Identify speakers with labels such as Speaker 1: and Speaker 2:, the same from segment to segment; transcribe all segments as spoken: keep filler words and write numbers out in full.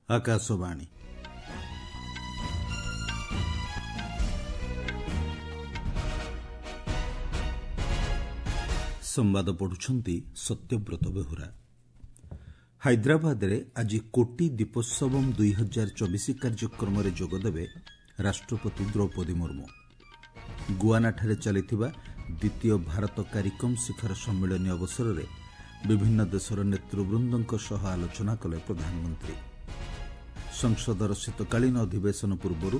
Speaker 1: ଆକାଶବାଣୀ। ସମ୍ବାଦ ପଢୁଛନ୍ତି ସତ୍ୟବ୍ରତ ବେହୁରା। ହାଇଦ୍ରାବାଦରେ ଆଜି କୋଟି ଦୀପୋତ୍ସବମ୍ ଦୁଇ ହଜାର ଚବିଶ କାର୍ଯ୍ୟକ୍ରମରେ ଯୋଗଦେବେ ରାଷ୍ଟ୍ରପତି ଦ୍ରୌପଦୀ ମୁର୍ମୁ। ଗୁଆନାଠାରେ ଚାଲିଥିବା ଦ୍ୱିତୀୟ ଭାରତ କାରିକମ୍ ଶିଖର ସମ୍ମିଳନୀ ଅବସରରେ ବିଭିନ୍ନ ଦେଶର ନେତୃବୃନ୍ଦଙ୍କ ସହ ଆଲୋଚନା କଲେ ପ୍ରଧାନମନ୍ତ୍ରୀ। ସଂସଦର ଶୀତକାଳୀନ ଅଧିବେଶନ ପୂର୍ବରୁ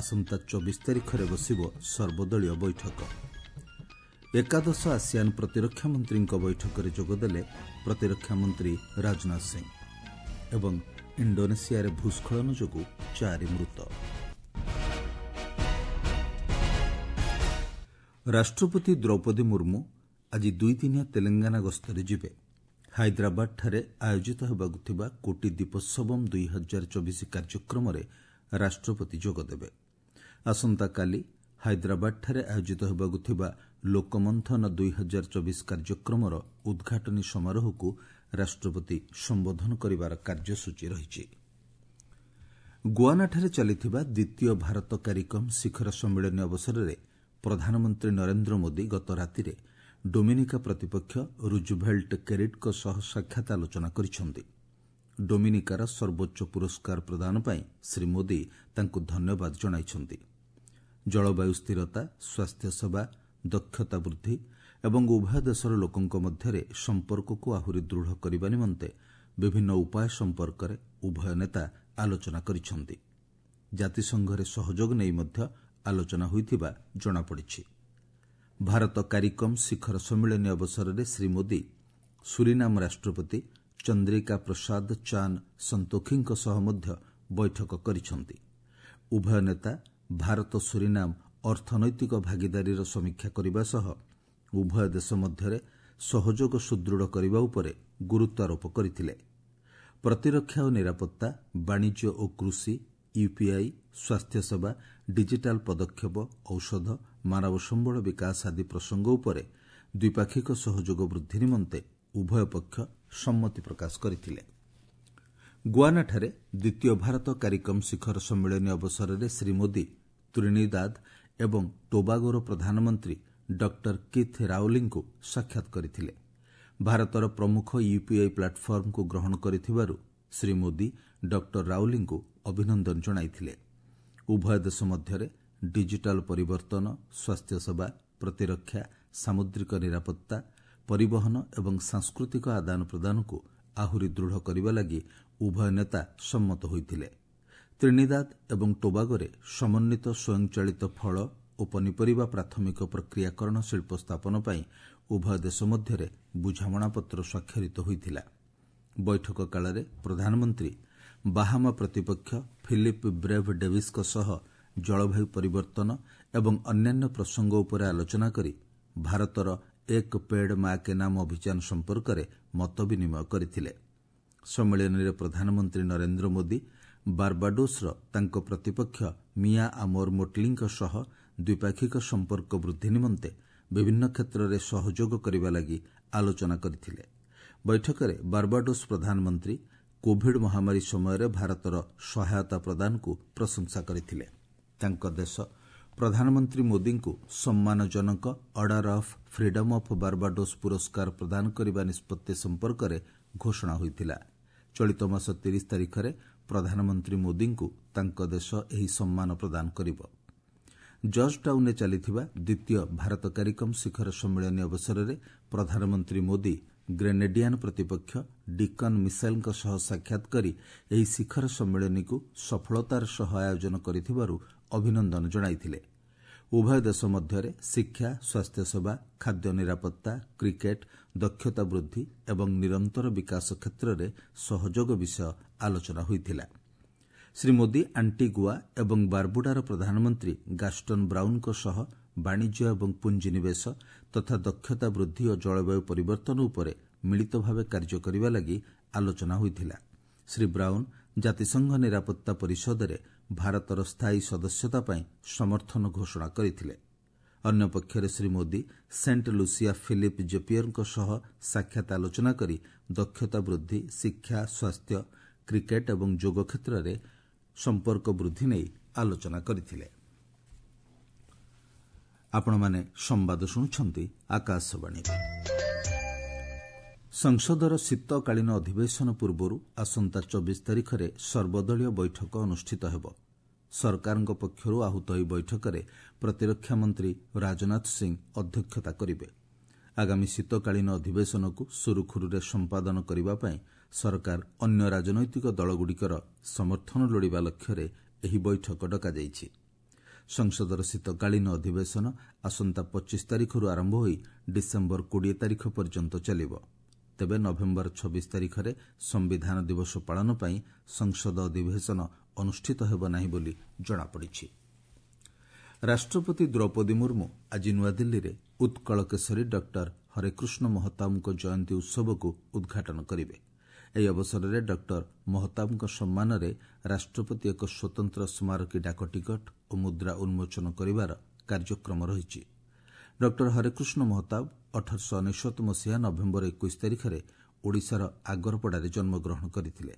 Speaker 1: ଆସନ୍ତା ଚବିଶ ତାରିଖରେ ବସିବ ସର୍ବଦଳୀୟ ବୈଠକ। ଏକାଦଶ ଆସିଆନ୍ ପ୍ରତିରକ୍ଷା ମନ୍ତ୍ରୀଙ୍କ ବୈଠକରେ ଯୋଗଦେଲେ ପ୍ରତିରକ୍ଷା ମନ୍ତ୍ରୀ ରାଜନାଥ ସିଂ। ଏବଂ ଇଣ୍ଡୋନେସିଆରେ ଭୂସ୍ଖଳନ ଯୋଗୁଁ ଚାରି ମୃତ। ରାଷ୍ଟ୍ରପତି ଦ୍ରୌପଦୀ ମୁର୍ମୁ ଆଜି ଦୁଇଦିନିଆ ତେଲେଙ୍ଗାନା ଗସ୍ତରେ ଯିବେ। ହାଇଦ୍ରାବାଦଠାରେ ଆୟୋଜିତ ହେବାକୁ ଥିବା କୋଟି ଦୀପୋତ୍ସବମ୍ ଦୁଇ ହଜାର ଚବିଶ କାର୍ଯ୍ୟକ୍ରମରେ ରାଷ୍ଟ୍ରପତି ଯୋଗଦେବେ। ଆସନ୍ତାକାଲି ହାଇଦ୍ରାବାଦଠାରେ ଆୟୋଜିତ ହେବାକୁ ଥିବା ଲୋକମନ୍ଥନ ଦୁଇ ହଜାର ଚବିଶ କାର୍ଯ୍ୟକ୍ରମର ଉଦ୍ଘାଟନୀ ସମାରୋହକୁ ରାଷ୍ଟ୍ରପତି ସମ୍ବୋଧନ କରିବାର କାର୍ଯ୍ୟସୂଚୀ ରହିଛି। ଗୁଆନାଠାରେ ଚାଲିଥିବା ଦ୍ୱିତୀୟ ଭାରତ କାରିକମ୍ ଶିଖର ସମ୍ମିଳନୀ ଅବସରରେ ପ୍ରଧାନମନ୍ତ୍ରୀ ନରେନ୍ଦ୍ର ମୋଦି ଗତ ରାତିରେ ଡୋମିନିକା ପ୍ରତିପକ୍ଷ ରୁଜଭେଲ୍ଟ କେରିଟ୍ଙ୍କ ସହ ସାକ୍ଷାତ ଆଲୋଚନା କରିଛନ୍ତି। ଡୋମିନିକାର ସର୍ବୋଚ୍ଚ ପୁରସ୍କାର ପ୍ରଦାନ ପାଇଁ ଶ୍ରୀ ମୋଦି ତାଙ୍କୁ ଧନ୍ୟବାଦ ଜଣାଇଛନ୍ତି। ଜଳବାୟୁ ସ୍ଥିରତା, ସ୍ୱାସ୍ଥ୍ୟସେବା, ଦକ୍ଷତା ବୃଦ୍ଧି ଏବଂ ଉଭୟ ଦେଶର ଲୋକଙ୍କ ମଧ୍ୟରେ ସମ୍ପର୍କକୁ ଆହୁରି ଦୃଢ଼ କରିବା ନିମନ୍ତେ ବିଭିନ୍ନ ଉପାୟ ସମ୍ପର୍କରେ ଉଭୟ ନେତା ଆଲୋଚନା କରିଛନ୍ତି। ଜାତିସଂଘରେ ସହଯୋଗ ନେଇ ମଧ୍ୟ ଆଲୋଚନା ହୋଇଥିବା ଜଣାପଡ଼ିଛି। ଭାରତ କାରିକମ୍ ଶିଖର ସମ୍ମିଳନୀ ଅବସରରେ ଶ୍ରୀ ମୋଦି ସୁରିନାମ ରାଷ୍ଟ୍ରପତି ଚନ୍ଦ୍ରିକା ପ୍ରସାଦ ଚାନ୍ ସନ୍ତୋଖିଙ୍କ ସହ ମଧ୍ୟ ବୈଠକ କରିଛନ୍ତି। ଉଭୟ ନେତା ଭାରତ ସୁରିନାମ ଅର୍ଥନୈତିକ ଭାଗିଦାରୀର ସମୀକ୍ଷା କରିବା ସହ ଉଭୟ ଦେଶ ମଧ୍ୟରେ ସହଯୋଗ ସୁଦୃଢ଼ କରିବା ଉପରେ ଗୁରୁତ୍ୱାରୋପ କରିଥିଲେ। ପ୍ରତିରକ୍ଷା ଓ ନିରାପତ୍ତା, ବାଣିଜ୍ୟ ଓ କୃଷି, ୟୁପିଆଇ, ସ୍ୱାସ୍ଥ୍ୟସେବା, ଡିଜିଟାଲ ପଦକ୍ଷେପ, ଔଷଧ, ମାନବ ସମ୍ବଳ ବିକାଶ ଆଦି ପ୍ରସଙ୍ଗ ଉପରେ ଦ୍ୱିପାକ୍ଷିକ ସହଯୋଗ ବୃଦ୍ଧି ନିମନ୍ତେ ଉଭୟ ପକ୍ଷ ସମ୍ମତି ପ୍ରକାଶ କରିଥିଲେ। ଗୁଆନାଠାରେ ଦ୍ୱିତୀୟ ଭାରତ କାରିକମ୍ ଶିଖର ସମ୍ମିଳନୀ ଅବସରରେ ଶ୍ରୀ ମୋଦି ତ୍ରିନିଦାଦ ଏବଂ ଟୋବାଗୋର ପ୍ରଧାନମନ୍ତ୍ରୀ ଡକ୍ଟର କିଥ୍ ରାଓଲିଙ୍କୁ ସାକ୍ଷାତ କରିଥିଲେ। ଭାରତର ପ୍ରମୁଖ ୟୁପିଆଇ ପ୍ଲାଟଫର୍ମକୁ ଗ୍ରହଣ କରିଥିବାରୁ ଶ୍ରୀ ମୋଦି ଡକ୍ଟର ରାଓଲିଙ୍କୁ ଅଭିନନ୍ଦନ ଜଣାଇଥିଲେ। ଉଭୟ ଦେଶ ମଧ୍ୟରେ ଡିଜିଟାଲ ପରିବର୍ତ୍ତନ, ସ୍ୱାସ୍ଥ୍ୟସେବା, ପ୍ରତିରକ୍ଷା, ସାମୁଦ୍ରିକ ନିରାପତ୍ତା, ପରିବହନ ଏବଂ ସାଂସ୍କୃତିକ ଆଦାନ ପ୍ରଦାନକୁ ଆହୁରି ଦୃଢ଼ କରିବା ଲାଗି ଉଭୟ ନେତା ସମ୍ମତ ହୋଇଥିଲେ। ତ୍ରିନିଦାଦ ଏବଂ ଟୋବାଗୋରେ ସମନ୍ୱିତ ସ୍ୱୟଂଚାଳିତ ଫଳ ଓ ପନିପରିବା ପ୍ରାଥମିକ ପ୍ରକ୍ରିୟାକରଣ ଶିଳ୍ପ ସ୍ଥାପନ ପାଇଁ ଉଭୟ ଦେଶ ମଧ୍ୟରେ ବୁଝାମଣାପତ୍ର ସ୍ୱାକ୍ଷରିତ ହୋଇଥିଲା। ବୈଠକ କାଳରେ ପ୍ରଧାନମନ୍ତ୍ରୀ ବାହାମା ପ୍ରତିପକ୍ଷ ଫିଲିପ୍ ବ୍ରେଭ୍ ଡେଭିସ୍ଙ୍କ ସହ ଜଳବାୟୁ ପରିବର୍ତ୍ତନ ଏବଂ ଅନ୍ୟାନ୍ୟ ପ୍ରସଙ୍ଗ ଉପରେ ଆଲୋଚନା କରି ଭାରତର ଏକ ପେଡ୍ ମା କେ ନାମ ଅଭିଯାନ ସମ୍ପର୍କରେ ମତ ବିନିମୟ କରିଥିଲେ। ସମ୍ମିଳନୀରେ ପ୍ରଧାନମନ୍ତ୍ରୀ ନରେନ୍ଦ୍ର ମୋଦି ବାର୍ବାଡୋସ୍ର ତାଙ୍କ ପ୍ରତିପକ୍ଷ ମିଆ ଆମୋର ମୋଟଲିଙ୍କ ସହ ଦ୍ୱିପାକ୍ଷିକ ସମ୍ପର୍କ ବୃଦ୍ଧି ନିମନ୍ତେ ବିଭିନ୍ନ କ୍ଷେତ୍ରରେ ସହଯୋଗ କରିବା ଲାଗି ଆଲୋଚନା କରିଥିଲେ। ବୈଠକରେ ବାର୍ବାଡୋସ୍ ପ୍ରଧାନମନ୍ତ୍ରୀ କୋଭିଡ୍ ମହାମାରୀ ସମୟରେ ଭାରତର ସହାୟତା ପ୍ରଦାନକୁ ପ୍ରଶଂସା କରିଥିଲେ। ତାଙ୍କ ଦେଶ ପ୍ରଧାନମନ୍ତ୍ରୀ ମୋଦିଙ୍କୁ ସମ୍ମାନଜନକ Order of Freedom of Barbados ପୁରସ୍କାର ପ୍ରଦାନ କରିବା ନିଷ୍ପତ୍ତି ସମ୍ପର୍କରେ ଘୋଷଣା ହୋଇଥିଲା। ଚଳିତ ମାସ ତିରିଶ ତାରିଖରେ ପ୍ରଧାନମନ୍ତ୍ରୀ ମୋଦିଙ୍କୁ ତାଙ୍କ ଦେଶ ଏହି ସମ୍ମାନ ପ୍ରଦାନ କରିବ। ଜର୍ଜ ଟାଉନ୍ରେ ଚାଲିଥିବା ଦ୍ୱିତୀୟ ଭାରତ କାରିକମ୍ ଶିଖର ସମ୍ମିଳନୀ ଅବସରରେ ପ୍ରଧାନମନ୍ତ୍ରୀ ମୋଦି ଗ୍ରେନେଡିଆନ୍ ପ୍ରତିପକ୍ଷ ଡିକନ୍ ମିସେଲ୍ଙ୍କ ସହ ସାକ୍ଷାତ କରି ଏହି ଶିଖର ସମ୍ମିଳନୀକୁ ସଫଳତାର ସହ ଆୟୋଜନ କରିଥିବାରୁ ଅଭିନନ୍ଦନ ଜଣାଇଥିଲେ। ଉଭୟ ଦେଶ ମଧ୍ୟରେ ଶିକ୍ଷା, ସ୍ୱାସ୍ଥ୍ୟସେବା, ଖାଦ୍ୟ ନିରାପତ୍ତା, କ୍ରିକେଟ୍, ଦକ୍ଷତା ବୃଦ୍ଧି ଏବଂ ନିରନ୍ତର ବିକାଶ କ୍ଷେତ୍ରରେ ସହଯୋଗ ବିଷୟ ଆଲୋଚନା ହୋଇଥିଲା। ଶ୍ରୀ ମୋଦି ଆଣ୍ଟିଗୁଆ ଏବଂ ବାର୍ବୁଡାର ପ୍ରଧାନମନ୍ତ୍ରୀ ଗାଷ୍ଟନ୍ ବ୍ରାଉନ୍ଙ୍କ ସହ ବାଣିଜ୍ୟ ଏବଂ ପୁଞ୍ଜିନିବେଶ ତଥା ଦକ୍ଷତା ବୃଦ୍ଧି ଓ ଜଳବାୟୁ ପରିବର୍ତ୍ତନ ଉପରେ ମିଳିତ ଭାବେ କାର୍ଯ୍ୟ କରିବା ଲାଗି ଆଲୋଚନା ହୋଇଥିଲା। ଶ୍ରୀ ବ୍ରାଉନ୍ ଜାତିସଂଘ ନିରାପତ୍ତା ପରିଷଦରେ ଭାରତର ସ୍ଥାୟୀ ସଦସ୍ୟତା ପାଇଁ ସମର୍ଥନ ଘୋଷଣା କରିଥିଲେ। ଅନ୍ୟପକ୍ଷରେ Shri Modi Saint Lucia Philip ଜେପିୟରଙ୍କ ସହ ସାକ୍ଷାତ ଆଲୋଚନା କରି ଦକ୍ଷତା ବୃଦ୍ଧି, ଶିକ୍ଷା, ସ୍ୱାସ୍ଥ୍ୟ, କ୍ରିକେଟ୍ ଏବଂ ଯୋଗ କ୍ଷେତ୍ରରେ ସମ୍ପର୍କ ବୃଦ୍ଧି ନେଇ ଆଲୋଚନା କରିଥିଲେ। ଆପଣମାନେ ସମ୍ବାଦ ଶୁଣୁଛନ୍ତି ଆକାଶବାଣୀରୁ। ସଂସଦର ଶୀତକାଳୀନ ଅଧିବେଶନ ପୂର୍ବରୁ ଆସନ୍ତା ଚବିଶ ତାରିଖରେ ସର୍ବଦଳୀୟ ବୈଠକ ଅନୁଷ୍ଠିତ ହେବ। ସରକାରଙ୍କ ପକ୍ଷରୁ ଆହୁତ ଏହି ବୈଠକରେ ପ୍ରତିରକ୍ଷା ମନ୍ତ୍ରୀ ରାଜନାଥ ସିଂ ଅଧ୍ୟକ୍ଷତା କରିବେ। ଆଗାମୀ ଶୀତକାଳୀନ ଅଧିବେଶନକୁ ସୁରୁଖୁରୁରେ ସମ୍ପାଦନ କରିବା ପାଇଁ ସରକାର ଅନ୍ୟ ରାଜନୈତିକ ଦଳଗୁଡ଼ିକର ସମର୍ଥନ ଲୋଡ଼ିବା ଲକ୍ଷ୍ୟରେ ଏହି ବୈଠକ ଡକାଯାଇଛି। ସଂସଦର ଶୀତକାଳୀନ ଅଧିବେଶନ ଆସନ୍ତା ପଚିଶ ତାରିଖରୁ ଆରମ୍ଭ ହୋଇ ଡିସେମ୍ବର କୋଡ଼ିଏ ତାରିଖ ପର୍ଯ୍ୟନ୍ତ ଚାଲିବ। ତେବେ ନଭେମ୍ବର ଛବିଶ ତାରିଖରେ ସମ୍ବିଧାନ ଦିବସ ପାଳନ ପାଇଁ ସଂସଦ ଅଧିବେଶନ ଅନୁଷ୍ଠିତ ହେବ ନାହିଁ ବୋଲି ଜଣାପଡ଼ିଛି। ରାଷ୍ଟ୍ରପତି ଦ୍ରୌପଦୀ ମୁର୍ମୁ ଆଜି ନୂଆଦିଲ୍ଲୀରେ ଉତ୍କଳ କେଶରୀ ଡକ୍ଟର ହରେକୃଷ୍ଣ ମହତାବଙ୍କ ଜୟନ୍ତୀ ଉତ୍ସବକୁ ଉଦ୍ଘାଟନ କରିବେ। ଏହି ଅବସରରେ ଡକ୍ଟର ମହତାବଙ୍କ ସମ୍ମାନରେ ରାଷ୍ଟ୍ରପତି ଏକ ସ୍ୱତନ୍ତ୍ର ସ୍ମାରକୀ ଡାକଟିକଟ ଓ ମୁଦ୍ରା ଉନ୍ମୋଚନ କରିବାର କାର୍ଯ୍ୟକ୍ରମ ରହିଛି। ଡକ୍ଟର ହରେକୃଷ୍ଣ ମହତାବ ଅଠରଶହ ଅନେଶତ ମସିହା ନଭେମ୍ବର ଏକୋଇଶ ତାରିଖରେ ଓଡ଼ିଶାର ଆଗରପଡ଼ାରେ ଜନ୍ମଗ୍ରହଣ କରିଥିଲେ।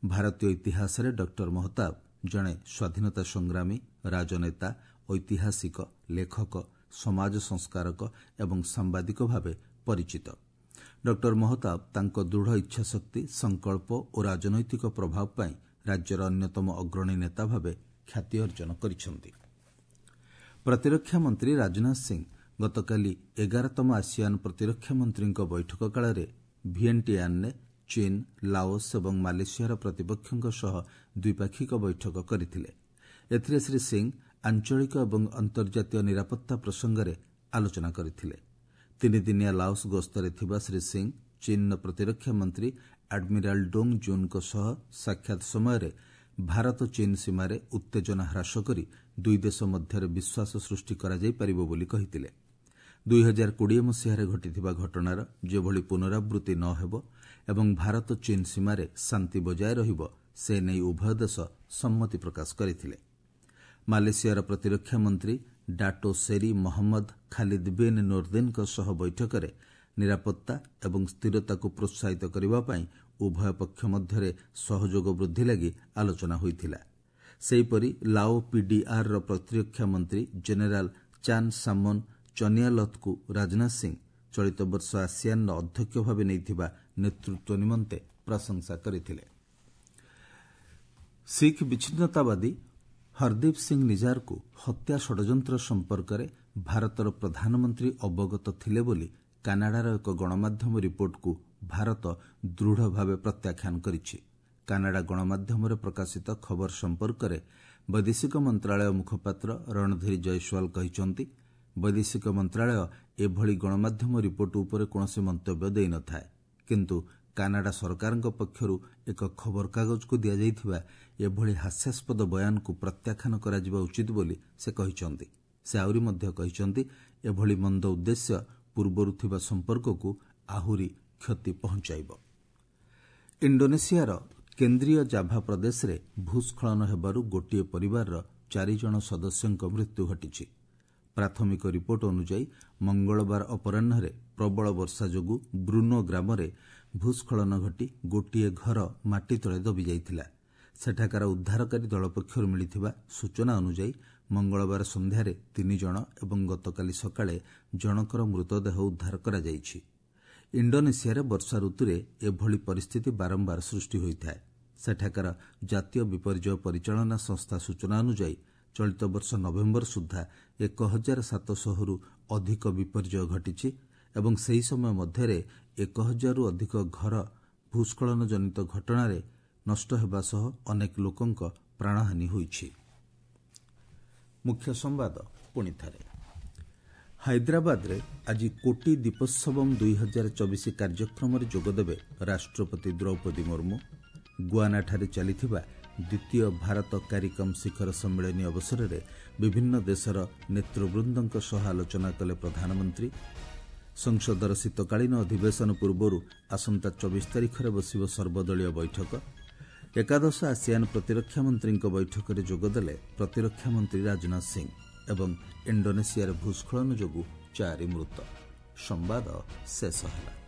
Speaker 1: ଭାରତୀୟ ଇତିହାସରେ ଡକ୍ଟର ମହତାବ ଜଣେ ସ୍ୱାଧୀନତା ସଂଗ୍ରାମୀ, ରାଜନେତା, ଐତିହାସିକ, ଲେଖକ, ସମାଜ ସଂସ୍କାରକ ଏବଂ ସାମ୍ବାଦିକ ଭାବେ ପରିଚିତ। ଡକ୍ଟର ମହତାବ ତାଙ୍କ ଦୃଢ଼ ଇଚ୍ଛାଶକ୍ତି, ସଂକଳ୍ପ ଓ ରାଜନୈତିକ ପ୍ରଭାବ ପାଇଁ ରାଜ୍ୟର ଅନ୍ୟତମ ଅଗ୍ରଣୀ ନେତା ଭାବେ ଖ୍ୟାତି ଅର୍ଜନ କରିଛନ୍ତି। ପ୍ରତିରକ୍ଷା ମନ୍ତ୍ରୀ ରାଜନାଥ ସିଂ ଗତକାଲି ଏଗାରତମ ଆସିଆନ୍ ପ୍ରତିରକ୍ଷା ମନ୍ତ୍ରୀଙ୍କ ବୈଠକ କାଳରେ ଭିଏଣ୍ଟିଆନ୍ରେ ଚୀନ୍, ଲାଓସ୍ ଏବଂ ମାଲେସିଆର ପ୍ରତିପକ୍ଷଙ୍କ ସହ ଦ୍ୱିପାକ୍ଷିକ ବୈଠକ କରିଥିଲେ। ଏଥିରେ ଶ୍ରୀ ସିଂ ଆଞ୍ଚଳିକ ଏବଂ ଅନ୍ତର୍ଜାତୀୟ ନିରାପତ୍ତା ପ୍ରସଙ୍ଗରେ ଆଲୋଚନା କରିଥିଲେ। ତିନିଦିନିଆ ଲାଓସ୍ ଗସ୍ତରେ ଥିବା ଶ୍ରୀ ସିଂ ଚୀନ୍ର ପ୍ରତିରକ୍ଷା ମନ୍ତ୍ରୀ ଆଡମିରାଲ୍ ଡୋଙ୍ଗ ଜୁନ୍ଙ୍କ ସହ ସାକ୍ଷାତ ସମୟରେ ଭାରତ ଚୀନ୍ ସୀମାରେ ଉତ୍ତେଜନା ହ୍ରାସ କରି ଦୁଇ ଦେଶ ମଧ୍ୟରେ ବିଶ୍ୱାସ ସୃଷ୍ଟି କରାଯାଇପାରିବ ବୋଲି କହିଥିଲେ। ଦୁଇ ହଜାର କୋଡ଼ିଏ ମସିହାରେ ଘଟିଥିବା ଘଟଣାର ଯେଭଳି ପୁନରାବୃତ୍ତି ନ ହେବ ଏବଂ ଭାରତ ଚୀନ୍ ସୀମାରେ ଶାନ୍ତି ବଜାୟ ରହିବ ସେ ନେଇ ଉଭୟ ଦେଶ ସମ୍ମତି ପ୍ରକାଶ କରିଥିଲେ। ମାଲେସିଆର ପ୍ରତିରକ୍ଷା ମନ୍ତ୍ରୀ ଡାଟୋ ସେରି ମହମ୍ମଦ ଖାଲିଦ୍ ବିନ୍ ନୋର୍ଦିନ୍ଙ୍କ ସହ ବୈଠକରେ ନିରାପତ୍ତା ଏବଂ ସ୍ଥିରତାକୁ ପ୍ରୋତ୍ସାହିତ କରିବା ପାଇଁ ଉଭୟ ପକ୍ଷ ମଧ୍ୟରେ ସହଯୋଗ ବୃଦ୍ଧି ଲାଗି ଆଲୋଚନା ହୋଇଥିଲା। ସେହିପରି ଲାଓ ପିଡିଆର୍ର ପ୍ରତିରକ୍ଷା ମନ୍ତ୍ରୀ ଜେନେରାଲ୍ ଚାନ୍ ସାମନ୍ ଚନିଆଲଥ୍ଙ୍କୁ ରାଜନାଥ ସିଂ ଚଳିତ ବର୍ଷ ଆସିଆନ୍ର ଅଧ୍ୟକ୍ଷ ଭାବେ ନେଇଥିବା ନେତୃତ୍ୱ ନିମନ୍ତେ ପ୍ରଶଂସା କରିଥିଲେ। ଶିଖ୍ ବିଚ୍ଛିନ୍ନତାବାଦୀ ହରଦୀପ ସିଂ ନିଜାରକୁ ହତ୍ୟା ଷଡ଼ଯନ୍ତ୍ର ସମ୍ପର୍କରେ ଭାରତର ପ୍ରଧାନମନ୍ତ୍ରୀ ଅବଗତ ଥିଲେ ବୋଲି କାନାଡ଼ାର ଏକ ଗଣମାଧ୍ୟମ ରିପୋର୍ଟକୁ ଭାରତ ଦୃଢ଼ ଭାବେ ପ୍ରତ୍ୟାଖ୍ୟାନ କରିଛି। କାନାଡ଼ା ଗଣମାଧ୍ୟମରେ ପ୍ରକାଶିତ ଖବର ସମ୍ପର୍କରେ ବୈଦେଶିକ ମନ୍ତ୍ରଣାଳୟ ମୁଖପାତ୍ର ରଣଧୀର ଜୟସ୍ୱାଲ କହିଛନ୍ତି, ବୈଦେଶିକ ମନ୍ତ୍ରଣାଳୟ ଏଭଳି ଗଣମାଧ୍ୟମ ରିପୋର୍ଟ ଉପରେ କୌଣସି ମନ୍ତବ୍ୟ ଦେଇନଥାଏ, କିନ୍ତୁ କାନାଡ଼ା ସରକାରଙ୍କ ପକ୍ଷରୁ ଏକ ଖବରକାଗଜକୁ ଦିଆଯାଇଥିବା ଏଭଳି ହାସ୍ୟାସ୍ପଦ ବୟାନକୁ ପ୍ରତ୍ୟାଖ୍ୟାନ କରାଯିବା ଉଚିତ ବୋଲି ସେ କହିଛନ୍ତି। ସେ ଆହୁରି ମଧ୍ୟ କହିଛନ୍ତି, ଏଭଳି ମନ୍ଦ ଉଦ୍ଦେଶ୍ୟ ପୂର୍ବରୁ ଥିବା ସମ୍ପର୍କକୁ ଆହୁରି କ୍ଷତି ପହଞ୍ଚାଇବ। ଇଣ୍ଡୋନେସିଆର କେନ୍ଦ୍ରୀୟ ଜାଭା ପ୍ରଦେଶରେ ଭୂସ୍ଖଳନ ହେବାରୁ ଗୋଟିଏ ପରିବାରର ଚାରିଜଣ ସଦସ୍ୟଙ୍କ ମୃତ୍ୟୁ ଘଟିଛି। ପ୍ରାଥମିକ ରିପୋର୍ଟ ଅନୁଯାୟୀ ମଙ୍ଗଳବାର ଅପରାହ୍ନରେ ପ୍ରବଳ ବର୍ଷା ଯୋଗୁଁ ବ୍ରୁନୋ ଗ୍ରାମରେ ଭୂସ୍ଖଳନ ଘଟି ଗୋଟିଏ ଘର ମାଟି ତଳେ ଦବିଯାଇଥିଲା। ସେଠାକାର ଉଦ୍ଧାରକାରୀ ଦଳ ପକ୍ଷରୁ ମିଳିଥିବା ସୂଚନା ଅନୁଯାୟୀ ମଙ୍ଗଳବାର ସନ୍ଧ୍ୟାରେ ତିନି ଜଣ ଏବଂ ଗତକାଲି ସକାଳେ ଜଣଙ୍କର ମୃତଦେହ ଉଦ୍ଧାର କରାଯାଇଛି। ଇଣ୍ଡୋନେସିଆରେ ବର୍ଷା ଋତୁରେ ଏଭଳି ପରିସ୍ଥିତି ବାରମ୍ବାର ସୃଷ୍ଟି ହୋଇଥାଏ। ସେଠାକାର ଜାତୀୟ ବିପର୍ଯ୍ୟୟ ପରିଚାଳନା ସଂସ୍ଥା ସୂଚନା ଅନୁଯାୟୀ ଚଳିତ ବର୍ଷ ନଭେମ୍ବର ସୁଦ୍ଧା ଏକ ହଜାର ସାତଶହରୁ ଅଧିକ ବିପର୍ଯ୍ୟୟ ଘଟିଛି ଏବଂ ସେହି ସମୟ ମଧ୍ୟରେ ଏକ ହଜାରରୁ ଅଧିକ ଘର ଭୂସ୍ଖଳନ ଜନିତ ଘଟଣାରେ ନଷ୍ଟ ହେବା ସହ ଅନେକ ଲୋକଙ୍କ ପ୍ରାଣହାନି ହୋଇଛି। ମୁଖ୍ୟ ସମ୍ବାଦ ପୁଣି ଥରେ, ହାଇଦ୍ରାବାଦରେ ଆଜି କୋଟି ଦୀପୋତ୍ସବମ୍ ଦୁଇ ହଜାର ଚବିଶ କାର୍ଯ୍ୟକ୍ରମରେ ଯୋଗଦେବେ ରାଷ୍ଟ୍ରପତି ଦ୍ରୌପଦୀ ମୁର୍ମୁ। ଗୁଆନାଠାରେ ଚାଲିଥିବା ଦ୍ୱିତୀୟ ଭାରତ କାରିକମ୍ ଶିଖର ସମ୍ମିଳନୀ ଅବସରରେ ବିଭିନ୍ନ ଦେଶର ନେତୃବୃନ୍ଦଙ୍କ ସହ ଆଲୋଚନା କଲେ ପ୍ରଧାନମନ୍ତ୍ରୀ। ସଂସଦର ଶୀତକାଳୀନ ଅଧିବେଶନ ପୂର୍ବରୁ ଆସନ୍ତା ଚବିଶ ତାରିଖରେ ବସିବ ସର୍ବଦଳୀୟ ବୈଠକ। ଏକାଦଶ ଆସିଆନ୍ ପ୍ରତିରକ୍ଷା ମନ୍ତ୍ରୀଙ୍କ ବୈଠକରେ ଯୋଗଦେଲେ ପ୍ରତିରକ୍ଷା ମନ୍ତ୍ରୀ ରାଜନାଥ ସିଂ ଏବଂ ଇଣ୍ଡୋନେସିଆରେ ଭୂସ୍ଖଳନ ଯୋଗୁଁ ଚାରି ମୃତ। ସମ୍ବାଦ ଶେଷ ହେଲା।